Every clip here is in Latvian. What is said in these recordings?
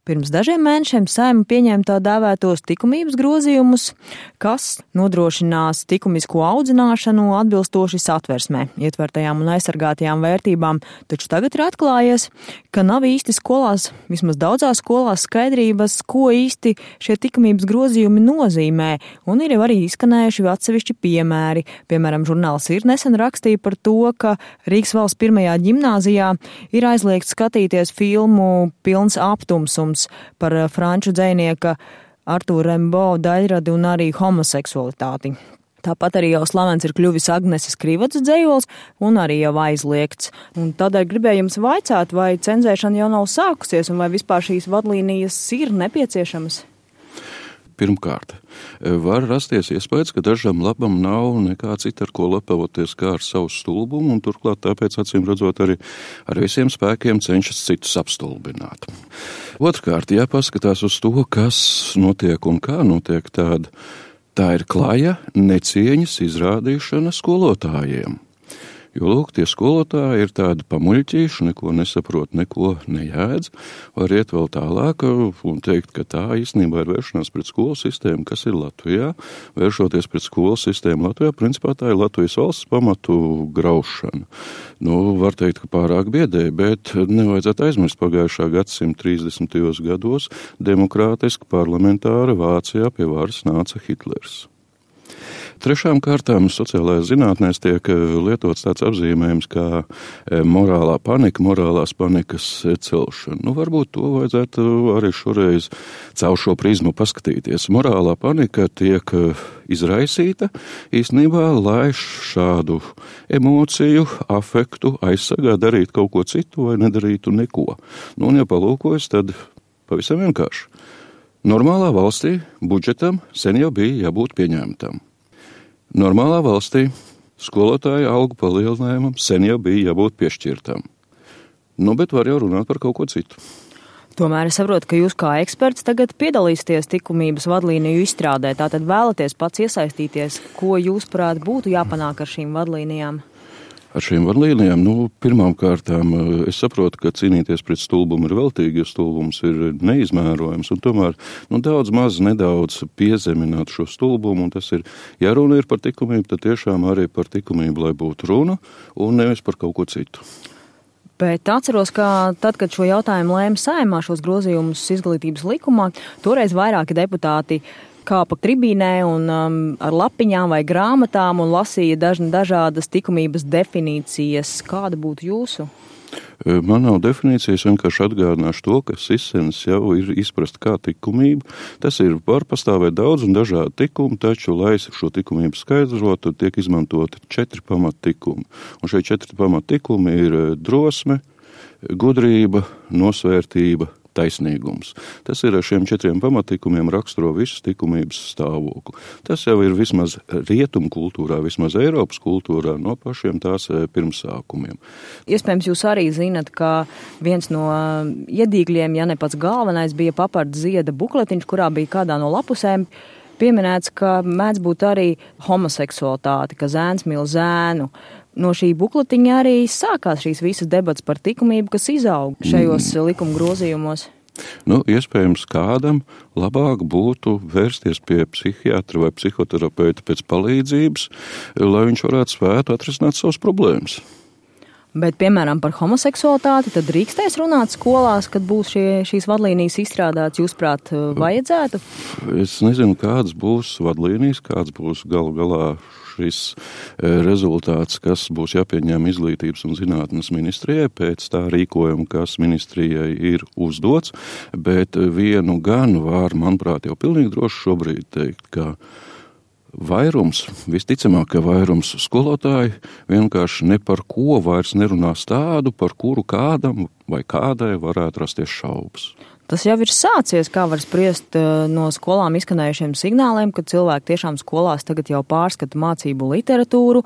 Pirms dažiem mēnešiem Saeima pieņēma tā dēvētos likumības grozījumus, kas nodrošinās likumisko audzināšanu atbilstoši Satversmē ietvertajām un aizsargātajām vērtībām, taču tagad ir atklājies, ka nav īsti skolās, vismaz daudzās skolās skaidrības, ko īsti šie likumības grozījumi nozīmē, un ir jau arī izskanējuši atsevišķi piemēri. Piemēram, žurnāls Ir nesen rakstīja par to, ka Rīgas valsts pirmajā ģimnāzijā ir aizliegts skatīties filmu Pilns aptumsums par franču dzejnieka Artūra Rimbaud daļradi un arī homoseksualitāti. Tāpat arī jau slavens ir kļuvis Agneses Krivatas dzejols un arī jau aizliegts. Un tādēļ gribēju jums vaicāt, vai cenzēšana jau nav sākusies un vai vispār šīs vadlīnijas ir nepieciešamas? Pirmkārt, var rasties iespējas, ka dažam labam nav nekā cita, ar ko lepavoties kā ar savu stulbumu, un turklāt tāpēc, acīm redzot, arī ar visiem spēkiem cenšas citus apstulbināt. Otrkārt, jāpaskatās uz to, kas notiek un kā notiek tā ir klaja necieņas izrādīšana skolotājiem. Jo, lūk, tie skolotāji ir tādi pamuļķīši, neko nesaprot, neko nejēdz, var iet vēl tālāk un teikt, ka tā īstenībā ir vēršanās pret skolu sistēmu, kas ir Latvijā. Vēršoties pret skolu sistēmu Latvijā, principā tā ir Latvijas valsts pamatu graušana. Var teikt, ka pārāk biedēji, bet nevajadzētu aizmirst pagājušā gadsimta 30. gados demokrātiski parlamentāra Vācijā pie varas nāca Hitlers. Trešām kārtām sociālajās zinātnēs tiek lietots tāds apzīmējums kā morālā panika, morālās panikas celšana. Varbūt to vajadzētu arī šoreiz caur šo prizmu paskatīties. Morālā panika tiek izraisīta īstenībā, lai šādu emociju, afektu aizsargā, darīt kaut ko citu vai nedarītu neko. Un ja palūkojas, tad pavisam vienkārši. Normālā valstī budžetam sen jau bija jābūt pieņemtam. Normālā valstī skolotāja algu palielinājumam sen jau bija jābūt piešķirtam. Bet var jau runāt par kaut ko citu. Tomēr es saprotu, ka jūs kā eksperts tagad piedalīsieties likumības vadlīniju izstrādē. Tātad vēlaties pats iesaistīties, ko jūs prāt būtu jāpanāk ar šīm vadlīnijām? Ar šīm vadlīnijām, pirmām kārtām es saprotu, ka cīnīties pret stulbumu ir veltīgi, jo stulbums ir neizmērojams, un tomēr nedaudz piezemināt šo stulbumu, un tas ir, ja runa ir par likumību, tad tiešām arī par likumību, lai būtu runa, un nevis par kaut ko citu. Bet atceros, ka tad, kad šo jautājumu lēma Saeimā šos grozījumus izglītības likumā, toreiz vairāki deputāti kāpa tribīnē un ar lapiņām vai grāmatām un lasīja dažādas likumības definīcijas. Kāda būtu jūsu? Man nav definīcijas, vienkārši atgādināšu to, ka sisenis jau ir izprasta kā likumība. Tas ir, var pastāvēt daudz un dažādi likumi, taču, lai šo likumību skaidrotu, tiek izmantoti 4 pamatlikumi. Un šie 4 pamatlikumi ir drosme, gudrība, nosvērtība, taisnīgums. Tas ir ar šiem 4 pamatlikumiem raksturo visas likumības stāvokli. Tas jau ir vismaz rietumu kultūrā, vismaz Eiropas kultūrā no pašiem tās pirmsākumiem. Iespējams, jūs arī zinat, ka viens no iedīgļiem, ja ne pats galvenais, bija Paparda Zieda bukletiņš, kurā bija kādā no lapusēm pieminēts, ka mēdz būt arī homoseksualitāte, ka zēns mīl zēnu. No šī bukletiņa arī sākās šīs visas debats par likumību, kas izaug šajos likuma grozījumos. Iespējams, kādam labāk būtu vērsties pie psihiatra vai psihoterapeita pēc palīdzības, lai viņš varētu spētu atrisināt savas problēmas. Bet, piemēram, par homoseksualitāti tad drīkstēs runāt skolās, kad būs šīs vadlīnijas izstrādātas, jūsprāt, vajadzētu? Es nezinu, kādas būs vadlīnijas, kāds būs galu galā šis rezultāts, kas būs jāpieņem izglītības un zinātnes ministrijai pēc tā rīkojuma, kas ministrijai ir uzdots, bet vienu gan var, manuprāt, jau pilnīgi droši šobrīd teikt, ka visticamāk, ka vairums skolotāji vienkārši ne par ko vairs nerunās tādu, par kuru kādam vai kādai varētu rasties šaubas. Tas jau ir sācies, kā var spriest no skolām izskanējušiem signāliem, ka cilvēki tiešām skolās tagad jau pārskata mācību literatūru.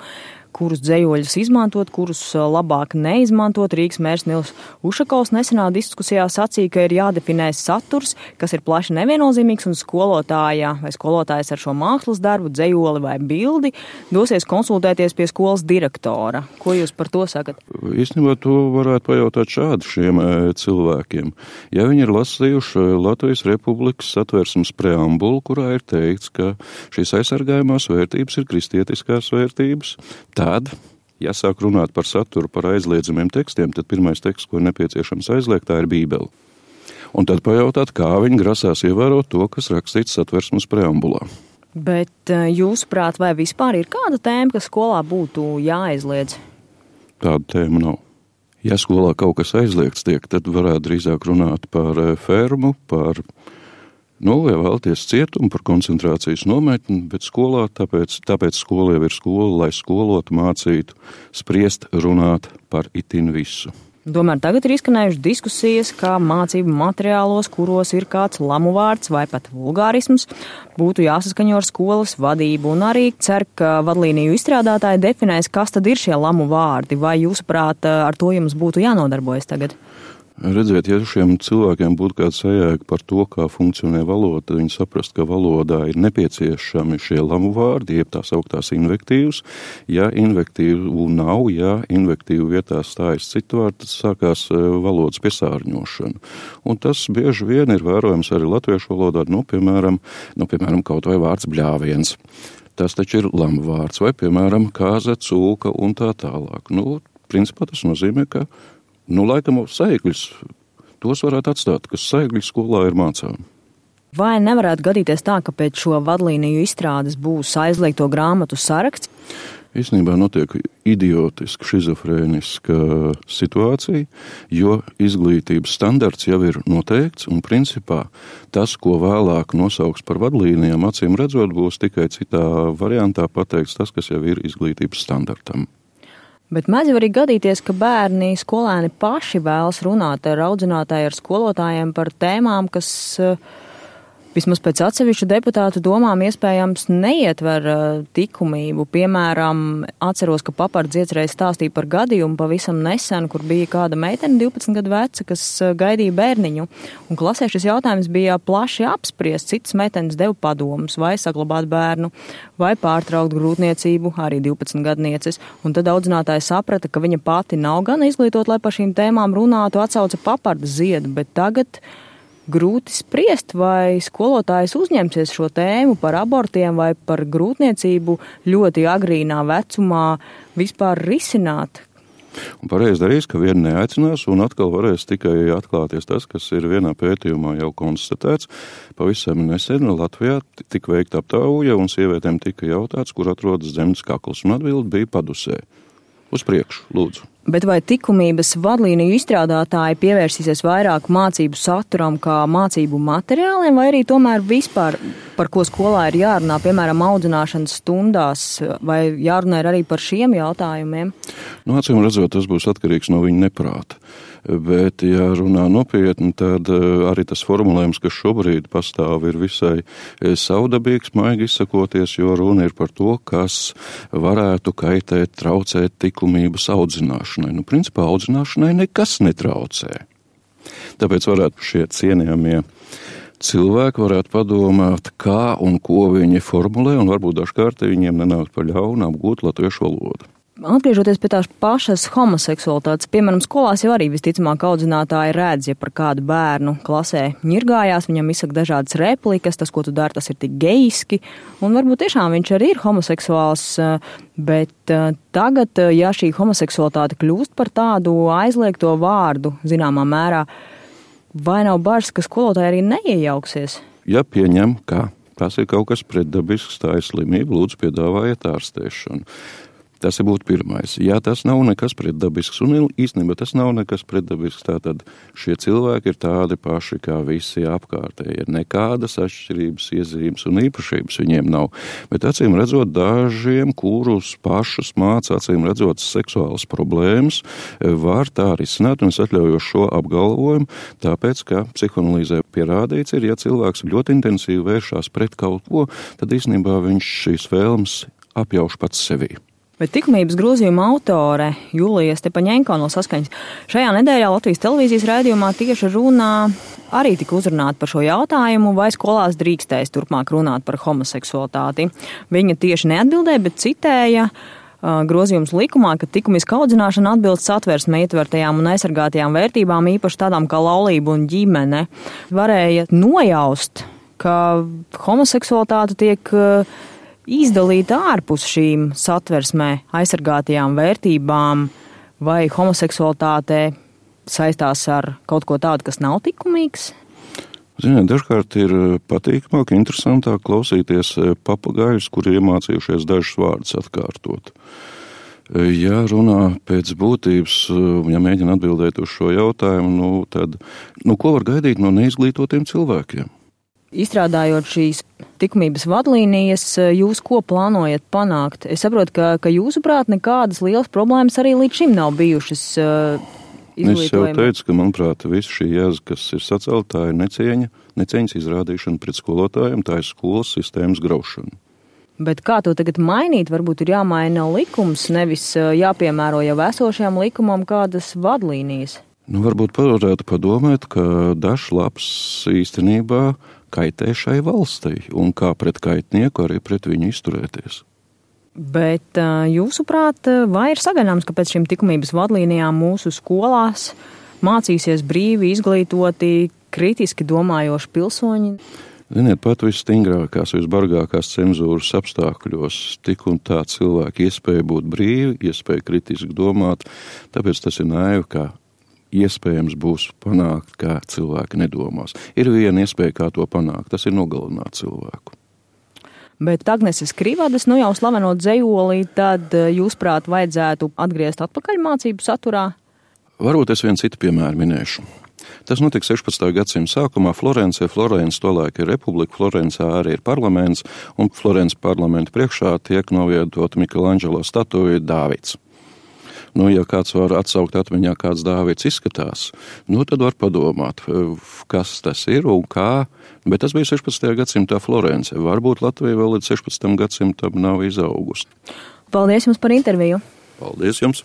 kurus dzejoļus izmantot, kurus labāk neizmantot. Rīgas mērs Nils Ušakovs nesenā diskusijā sacīja, ka ir jādefinē saturs, kas ir plaši neviennozīmīgs, un skolotāja vai skolotājs ar šo mākslas darbu, dzejoli vai bildi dosies konsultēties pie skolas direktora. Ko jūs par to sakat? Īstenībā to varētu pajautāt šādi šiem cilvēkiem. Ja viņi ir lasījuši Latvijas Republikas Satversmes preambulu, kurā ir teikts, ka šīs aizsargājumās vērtības ir kristietiskās vērtības, tad, ja sāk runāt par saturu, par aizliedzamiem tekstiem, tad pirmais teksts, ko ir nepieciešams aizliegt, tā ir Bībele. Un tad pajautāt, kā viņi grasās ievērot to, kas rakstīts Satversmes preambulā. Bet jūsuprāt, vai vispār ir kāda tēma, kas skolā būtu jāaizliedz? Tāda tēma nav. Ja skolā kaut kas aizliegts tiek, tad varētu drīzāk runāt par fermu, par, ja vēlties cietumu, par koncentrācijas nometni, bet skolā, tāpēc skola jau ir skola, lai skolotu, mācītu, spriest, runāt par itin visu. Tomēr tagad ir izskanējušas diskusijas, kā mācību materiālos, kuros ir kāds lamu vārds vai pat vulgārisms, būtu jāsaskaņo ar skolas vadību, un arī cer, ka vadlīniju izstrādātāji definēs, kas tad ir šie lamu vārdi, vai jūsuprāt ar to jums būtu jānodarbojas tagad? Redziet, ja šiem cilvēkiem būtu kāda sajēga par to, kā funkcionē valoda, tad viņi saprast, ka valodā ir nepieciešami šie lamu vārdi, jeb tās augtās invektīvas. Ja invektīvu nav, ja invektīvu vietā stājas citu vārdu, tad sākās valodas piesārņošana. Un tas bieži vien ir vērojams arī latviešu valodā, piemēram, kaut vai vārds bļāviens. Tas taču ir lamu vārds, vai, piemēram, kāze, cūka un tā tālāk. Principā tas nozīmē, ka laikam saikļus, tos varētu atstāt, kas saikļi skolā ir mācām. Vai nevarētu gadīties tā, ka pēc šo vadlīniju izstrādes būs aizliegto grāmatu saraksts? Īstenībā notiek idiotiska, šizofrēniska situācija, jo izglītības standarts jau ir noteikts, un principā tas, ko vēlāk nosauks par vadlīnijām, acīm redzot, būs tikai citā variantā pateikts tas, kas jau ir izglītības standartam. Bet mēdz jau arī gadīties, ka bērni, skolēni paši vēlas runāt ar audzinātāju, ar skolotājiem par tēmām, kas vismaz pēc atsevišķu deputātu domām iespējams neietver likumību. Piemēram, atceros, ka Papards iecerēja stāstīja par gadījumu pavisam nesen, kur bija kāda meitene 12 gadu veca, kas gaidīja bērniņu. Un klasē šis jautājums bija plaši apspriests. Citas meitenes deva padomus, vai saglabāt bērnu, vai pārtraukt grūtniecību, arī 12 gadnieces. Un tad audzinātāja saprata, ka viņa pati nav gan izglītot, lai par šīm tēmām runātu, atsauca Paparda ziedu, bet tagad grūti spriest, vai skolotājs uzņemsies šo tēmu par abortiem vai par grūtniecību ļoti agrīnā vecumā vispār risināt. Un pareizi darīs, ka vieni neaicinās, un atkal varēs tikai atklāties tas, kas ir vienā pētījumā jau konstatēts. Pavisam nesen Latvijā tika veikta aptauja, un sievietēm tika jautāts, kur atrodas dzemdas kakls, un atbilde bija Padusē. Uz priekšu, lūdzu. Bet vai likumības vadlīniju izstrādātāji pievērsīsies vairāk mācību saturam kā mācību materiāliem, vai arī tomēr vispār, par ko skolā ir jārunā, piemēram, audzināšanas stundās, vai jārunā arī par šiem jautājumiem? Acīm redzot, tas būs atkarīgs no viņa neprāta. Bet, ja runā nopietni, tad arī tas formulējums, kas šobrīd pastāv, ir visai savdabīgs, maigi izsakoties, jo runa ir par to, kas varētu kaitēt, traucēt likumības audzināšanai. Principā audzināšanai nekas netraucē. Tāpēc varētu šie cienījamie cilvēki varētu padomāt, kā un ko viņi formulē, un varbūt dažkārt viņiem nenāk par ļaunu apgūt latviešu valodu. Atgriežoties pie tās pašas homoseksualitātes, piemēram, skolās jau arī visticamāk audzinātāji redz, ja par kādu bērnu klasē ņirgājās, viņam izsaka dažādas replikas, tas, ko tu dari, tas ir tik geiski, un varbūt tiešām viņš arī ir homoseksuāls, bet tagad, ja šī homoseksualitāte kļūst par tādu aizliegto vārdu, zināmā mērā, vai nav bažas, ka skolotāji arī neiejauksies? Ja pieņem, ka tas ir kaut kas pretdabisks, tā ir slimība, lūdzu piedāvājiet ārstēšanu. Tas būtu pirmais. Ja tas nav nekas pretdabisks, un īstenībā tas nav nekas pretdabisks, tātad šie cilvēki ir tādi paši kā visi apkārtēji. Nekādas atšķirības, iezīmes un īpašības viņiem nav. Bet acīm redzot, dažiem, kurus pašus māca, acīm redzot, seksuālas problēmas, var tā risināt, un es atļauju šo apgalvojumu, tāpēc, ka psihoanalīzē pierādīts ir, ja cilvēks ļoti intensīvi vēršās pret kaut ko, tad īstenībā viņš šīs vēlmes apjauš pats sevī. Bet likumības grozījuma autore Julija Stepaņenko no Saskaņas šajā nedēļā Latvijas televīzijas raidījumā tieši runā arī tika uzrunāt par šo jautājumu, vai skolās drīkstēs turpmāk runāt par homoseksualitāti. Viņa tieši neatbildēja, bet citēja grozījums likumā, ka likumiska audzināšana atbilst Satversmē ietvertajām un aizsargātajām vērtībām, īpaši tādām kā laulība un ģimene. Varēja nojaust, ka homoseksualitāte tiek izdalīta ārpus šīm Satversmē aizsargātajām vērtībām, vai homoseksualitāte saistās ar kaut ko tādu, kas nav likumīgs? Ziniet, dažkārt ir patīkamāk, interesantāk klausīties papagaļus, kuri iemācījušies dažus vārdus atkārtot. Ja runā pēc būtības, ja mēģina atbildēt uz šo jautājumu, tad ko var gaidīt no neizglītotiem cilvēkiem? Izstrādājot šīs likumības vadlīnijas, jūs ko plānojat panākt? Es saprotu, ka jūsuprāt nekādas lielas problēmas arī līdz šim nav bijušas izglītojumā. Es jau teicu, ka, manuprāt, visa šī jēza, kas ir sacelta, ir necieņas izrādīšana pret skolotājiem, tā ir skolas sistēmas graušana. Bet kā to tagad mainīt? Varbūt ir jāmaina likums, nevis jāpiemēro jau esošajām likumam kādas vadlīnijas. Varbūt varētu padomāt, ka dažs labs īstenībā kaitē šai valstī, un kā pret kaitnieku arī pret viņu izturēties. Bet jūsuprāt, vai ir sagaidāms, ka pēc šīm likumības vadlīnijām mūsu skolās mācīsies brīvi, izglītoti, kritiski domājoši pilsoņi? Ziniet, pat visstingrākās, visbargākās cenzūras apstākļos tik un tā cilvēki iespēja būt brīvi, iespēja kritiski domāt, tāpēc tas ir naivi, kā iespējams būs panākt, kā cilvēki nedomās. Ir viena iespēja, kā to panākt, tas ir nogalināt cilvēku. Bet Agneses Krivadas, jau slavenot dzejolī, tad jūsprāt vajadzētu atgriezt atpakaļ mācību saturā? Varbūt es vienu citu piemēru minēšu. Tas notika 16. gadsimta sākumā Florencē. Florence tolaik ir republika, Florencā arī ir parlaments, un Florences parlamenta priekšā tiek novietota Michelangelo statuja Dāvids. Ja kāds var atsaukt atmiņā, kāds Dāvids izskatās, tad var padomāt, kas tas ir un kā, bet tas bija 16. gadsimtā Florence. Varbūt Latvija vēl līdz 16. gadsimtam nav izaugusi. Paldies jums par interviju. Paldies jums.